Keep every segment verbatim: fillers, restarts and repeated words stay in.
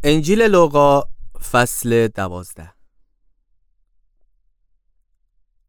انجیلٚ لوقا، فصلٚ دوازده.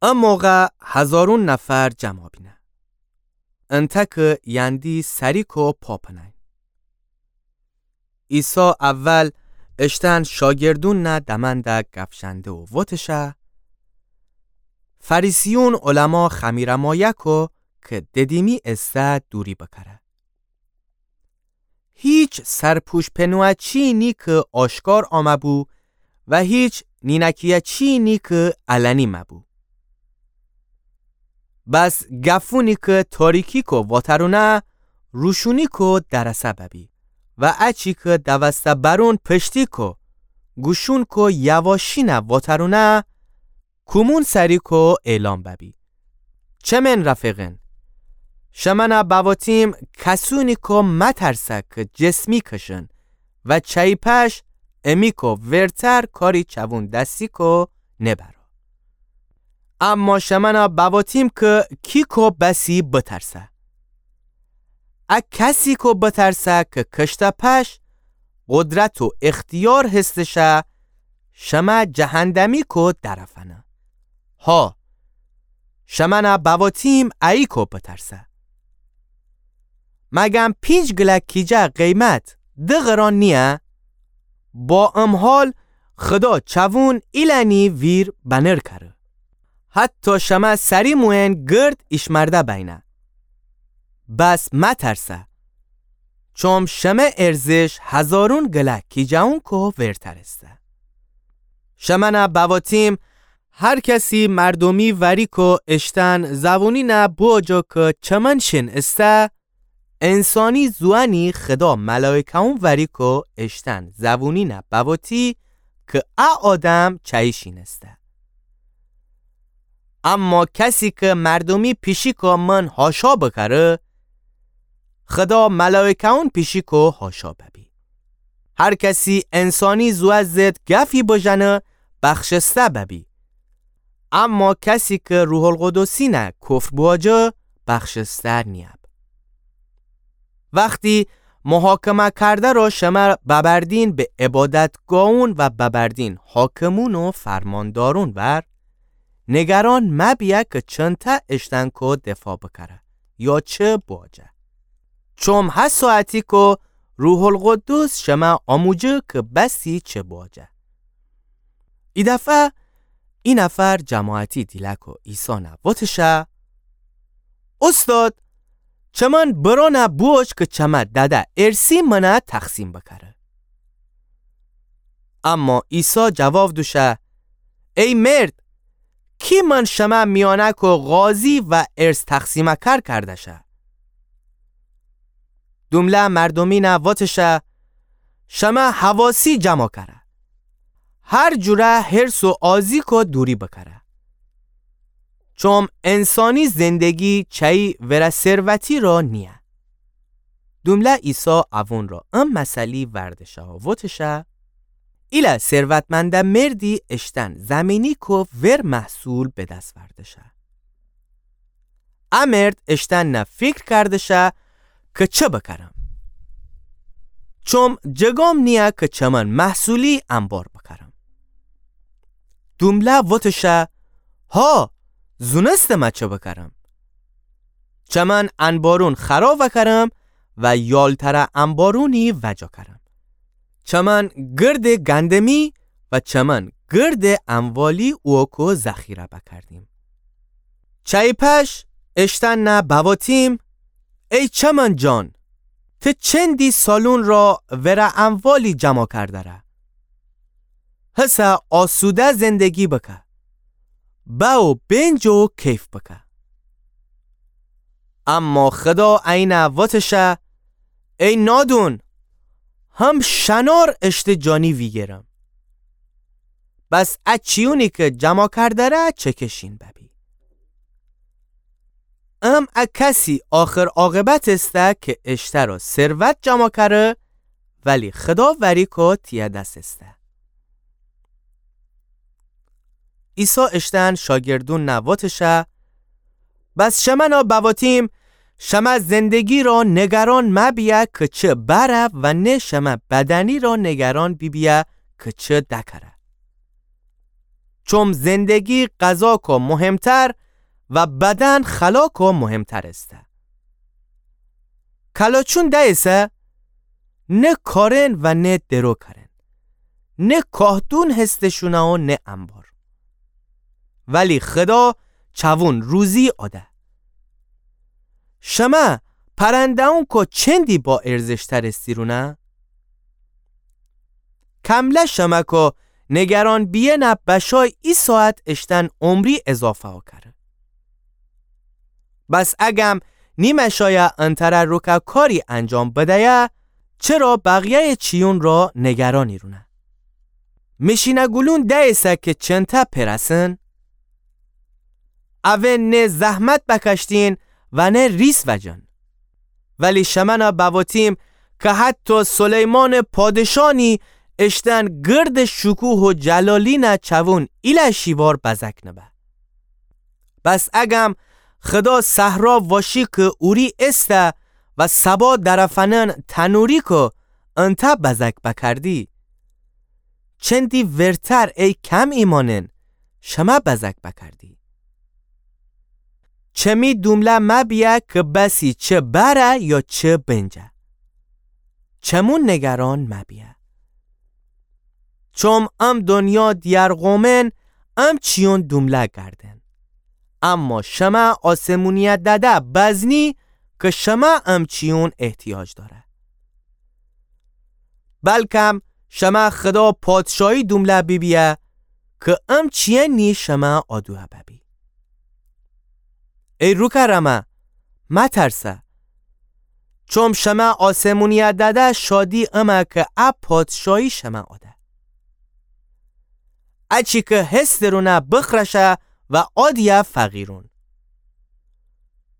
ا موقع هزارون نفر جمع بینه. انتأ کی یندی سریکو پا پنأی. عیسی اول اشتأن شاگردونٚ دمأنده گپ ژنده و وتشه: فریسیون علما خمیره مایه کو کی ددیمی ایسه دوری بکره. هیچ سرپوش پنوه‌چی‌یی نی کی آشکار آمه‌بو و هیچ نینکی‌یه‌چی‌یی نی کی علنی مه‌بو. بس گفونی کی تاریکی کو واترونه، روشونی کو درسه ببی و اچی کی دوسته برون پشتی کو، گوشون کو یواشینه واترونه، کومون سری کو اعلام ببی. چمن رفیقین، شمنه بواتیم کسونی کو مترسه کی جسمی کشن و چأیی پش امی کو ورتر کاری چوون دستی کو نبره. اما شمنه بواتیم کی کی کو بسی بترسه. ا کسی کو بترسه کی کشته پش قدرت و اختیار هستشه شمه جهندمی کو درفنه. ها، شمنه بواتیم ایی کو بترسه. مگم پینج گلک کیجه قیمت ده قران نیه؟ با ام حال خدا چوون ایلأنی ویر بنر کره. حتی شمه سری موئن گرد ایشمرده بینه. بس مترسه، چوم شمه ارزش هزارون گلک کیجه‌یون کو ورتر ایسه. شمنه بواتیم هر کسی مردومی وری کو اشتأن زوونی نه بوجو کی چمن شین ایسه، انسانی زوأنی خدا ملائکه‌یون وری کو اشتأن زوونی نه بواتی کی ا آدم چأیی شین ایسه. اما کسی کی مردومی پیشی کو من هاشا بکره، خدا ملائکه‌یون پیشی کو هاشا ببی. هر کسی انسانی زوأ ضد گفی بژنه، بخشسته ببی. اما کسی کی روح‌القدسی نه کفر بوجه، بخشسته نیب. وختی محاکمه کرده رو شمه ببردین به عبادتگاهون و ببردین حاکمون و فرماندارون ور، نگران مبیه کی چنته اشتأن کو دفاع بکره یا چه بوجه. چوم هه ساعتی کو روح‌القدس شمه آموجه کی بسی چه بوجه. ای دفعه ای نفر جماعتی دیله کو عیسی نه وتشه: اوستاد، چمن برانه بوش کی چمه دده ارثی منه تقسیم بکره. اما عیسی جواب دوشه: ای مرد، کی من شمه میأنه کو قاضی و ارث تقسیم‌کار کرده شه؟ دومله مردومی نه وتشه: شمه حواسی جمع کره. هر جوره حرص و آزی کو دوری بکره. چوم انسانی زندگی چأیی وره ثروتی رو نیه. دومله عیسی اوون رو ام مثلی وردشه و وتشه: ایله ثروتمنده مردی اشتأن زمینی کو ور محصول به دس وردشه. ا مرد اشتأن نه فیکر کردشه کی چه بکرم؟ چوم جگام نیه کی چمن محصولی انبار بکرم. دومله وتشه: ها، زونستمه چه بکرم. چمن انبارون خرا وکرم و یالتره انبارونی وجا کرم. چمن گرد گندمی و چمن گرد اموالی اوکو ذخیره بکردیم. چأیی پش اشتأن نه بواتیم: ای چمن جان، ته چندی سالون را وره اموالی جمع کردره. هسه آسوده زندگی بکه. به و بنج و کیف بکه. اما خدا اینه وتشه: ای نادون، هم شنار اشته جانی ویگرم. بس ا چیونی کی جمع کردره چکشین ببی. ام ا کسی آخر عاقبت ایسته کی اشتره ثروت جمع کره، ولی خدا وری کو تیه دس ایسته. عیسی اشتأن شاگردون نه وتشه: بس شمنه بواتیم، شمه زندگی را نگران مبیه که چه بره و نه شمه بدنی را نگران بیبیه که چه دکره. چوم زندگی غذاکو مهمتر و بدن خلاکو مهمتر ایسه. کلاچون دئیسه، نه کارن و نه درو کارن، نه کاهدون هستشونه و نه انبار. ولی خدا چوون روزی آده. شمه پرنده‌ونکو چندی با ارزش‌تر استیرونه؟ کمله شمه کو نگران بیینه بشای ای ساعت اشتن عمری اضافه کره. بس اگم نیمه شایه انتره روکه کاری انجام بدیه، چرا بقیه‌ی چیون را نگران ایرونه؟ میشینه‌گولون دئیسه که چنته پرسن؟ اوه نه زحمت بکشتین و نه ریس وجن. ولی شمنه بواتیم که حتی سلیمان پادشانی اشتن گرد شکوه و جلالینه چوون ایله شیوار بزک نبه. بس اگم خدا صحرا واشی که اوری ایسته و سبا درفنن تنوری که انته بزک بکردی، چندی ورتر ای کم ایمانن شمه بزک بکردی. چمی دومله مبیه که بسی چه بره یا چه بنجه. چمون نگران مبیه. چوم ام دنیا دیرقومن ام چیون دومله گردن. اما شمه آسمونیه دده بزنی که شمه ام چیون احتیاج داره. بلکم شمه خدا پادشاهی دومله بیبیه که ام چیه نی شمه آدوه ببی. ای روکرمه، مترسه. چوم شمه آسمونیه دده شادی امه که ا پادشاهی شمه آده. اچی که هسترونه بخرشه و آدیه فقیرون.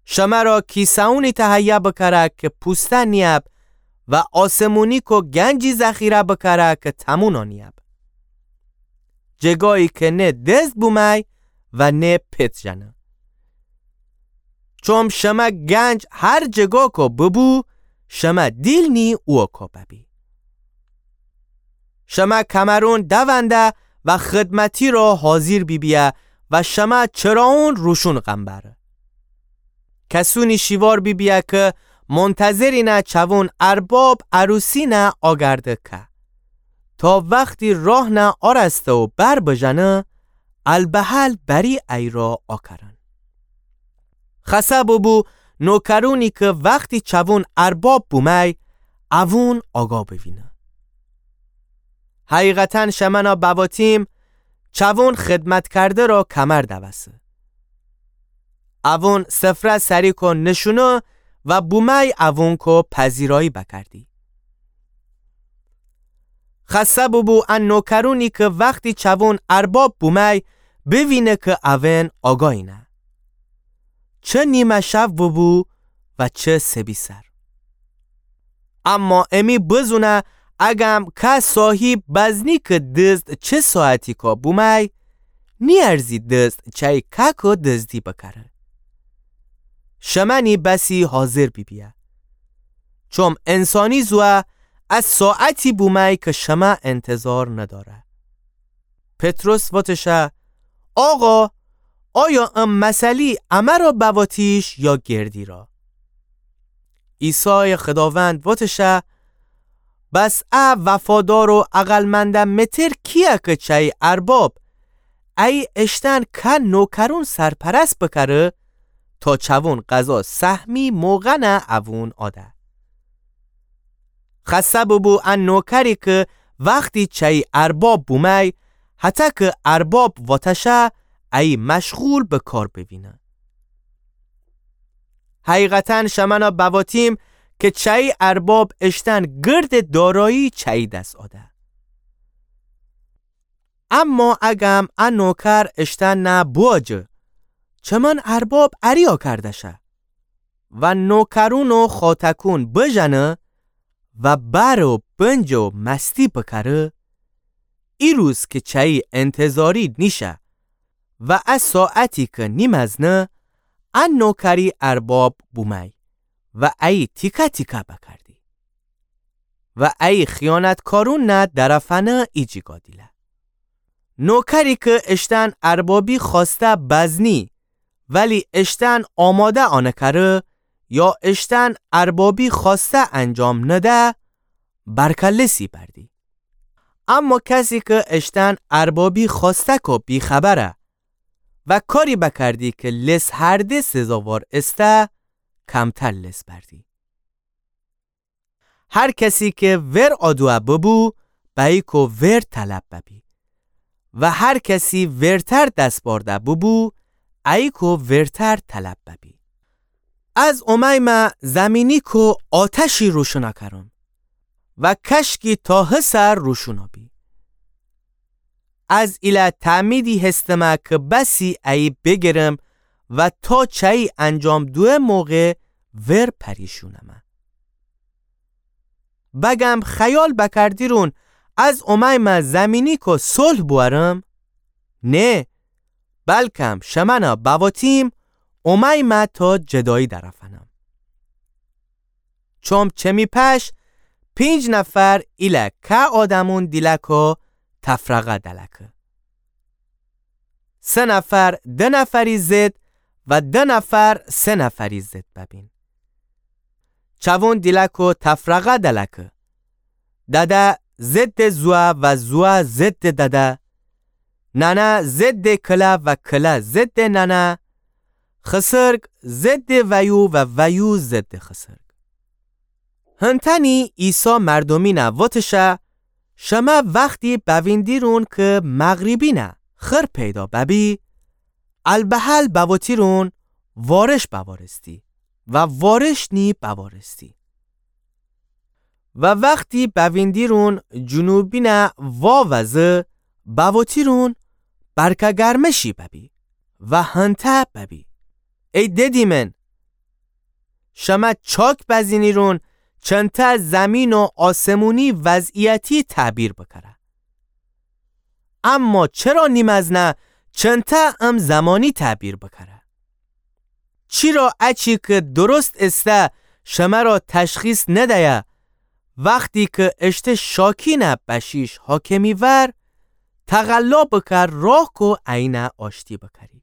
شمه را کیسه‌ونی تهیه بکره که پوسته نیب و آسمونی کو گنجی ذخیره بکره که تمونا نیب. جگایی که نه دزد بومی و نه پت ژنه. چوم شمه گنج هر جگا کو ببو، شمه دیل نی اوکو ببی. شمه کمرون دونده و خدمتی را حاضر بیبیه و شمه چراون روشون قنبره. کسونی شیوار بیبیه که منتظرینه چوون ارباب عروسینه آگرده که تا وختی راهنه آرسته و بر بژنه، البهل بری ای را آکرن. خسه ببو نوکرونی که وختی چوون ارباب بومی، اوون آگا بوینه. حقیقتاً شمنه بواتیم، چوون خدمت کرده را کمر دوسه. اوون سفره سری کو نشونه و بومی اوون کو پذیرایی بکردی. خسه ببو ا نوکرونی که وختی چوون ارباب بومی بوینه که اوون آگاهینه. چه نیمه شو ببو و چه سبیسر. اما امی بزونه اگم که صاحیب بزنی که دزد چه ساعتی کا بومی، نیارزی دزد چی که کو دزدی بکره. شمه نی بسی حاضر بیبیه. چوم انسانی زوه ا ساعتی بومی که شمه انتظار نداره. پطرس وتشه، آقا، آیا ام مثلی امه را بواتیش یا گردی را؟ عیسی خداوند وتشه، بس ا وفادار و عقلمنده متر کیه که چی ارباب ای اشتن که نوکرون سرپرست بکره تا چوون غذا سهمی موقع نه اوون آده. خسه ببو ا نوکری که وختی چی ارباب بومی، حتی که ارباب وتشه ای مشغول به کار بوینه. حقیقتاً شمنه بواتیم که چی ارباب اشتن گرد دارایی چی دس آده. اما اگم ا نوکر اشتن نه بواجه، چمن ارباب اریا کردشه و نوکرون و خاتکون بژنه و بر و بنج و مستی بکره، ای روز که چی انتظاری نیشه و ا ساعتی که نیمزنه، ا نوکری ارباب بومی. و ایی تیکه تیکه بکردی. و ایی خیانتکارونٚ درفأنه ایجیگا دیله. نوکری کی اشتأن اربابی خوأسته بزنی، ولی اشتأن آماده آنٚ کره، یا اشتأن اربابی خوأسته انجام نده، برکه لسی بردی. اما کسی کی اشتأن اربابی خوأسته‌کٚ بی‌خبره و کاری بکردی کی لس هرده سزاوار ایسه، کمتر لس بردی. هر کسی کی ور آدوه ببو، بأییکٚ ور طلب ببی. و هر کسی ورتر دس بأرده ببو، اییکٚ ورتر طلب ببی. از اومأیمه زمینیکٚ آتشی روشونَ کرم و کشکی تا هسر روشونَ بی. از ایله تعمیدی هستمه کی بسی ایی بیگیرم و تا چایی انجام دوئه موقع ور پریشونمه. بگم خیال بکردیرون از اومأیمه زمینیکٚ صلح بوأرم؟ نه، بلکم شمنَ بواتیم اومأیمه تا جدایی درفأنم. چوم چمی پش پینج نفر ایله که آدمون دیلکو تفرقه دلکه. سه نفر ده نفری ضد و ده نفر سه نفری ضد ببین. چوون دیلکو تفرقه دلکه. دده ضد زوه و زوه ضد دده. ننه ضد کله و کله ضد ننه. خسرگ ضد ویو و ویو ضد خسرگ. هنتأنی عیسی مردومینَ وتشه، شمه وختی بویندیرون کی مغریبینه خیر پیدا ببی، البهل بوتیرون وارش بوارستی و وارش نی بوارستی. و وختی بویندیرون جنوبینه واوزه، بوتیرون برکه گرمشی ببی و هنته ببی. ای ددیمن، شمه چاک بزینیرون چنته زمین و آسمونی وضعیتی تعبیر بکره. اما چرا نیمزنه چنته ام زمانی تعبیر بکره؟ چیرا اچی کی درست ایسه شمه را تشخیص ندیه، وختی کی اشته شاکینه بشیش حاکمی ور، تقلا بکر راه کو اینه آشتی بکری.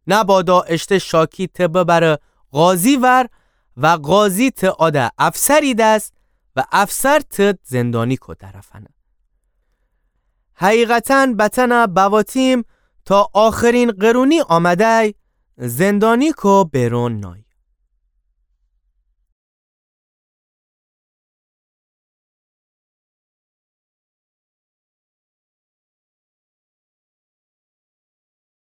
نبادا اشته شاکی ته ببره قاضی ور و قاضی ته آده افسری دس و افسر ته زندانیکو درفأنه. حقیقتاً بتأنه بواتیم تا آخرین قرونی آمده‌ی زندانیکو بیرون نای.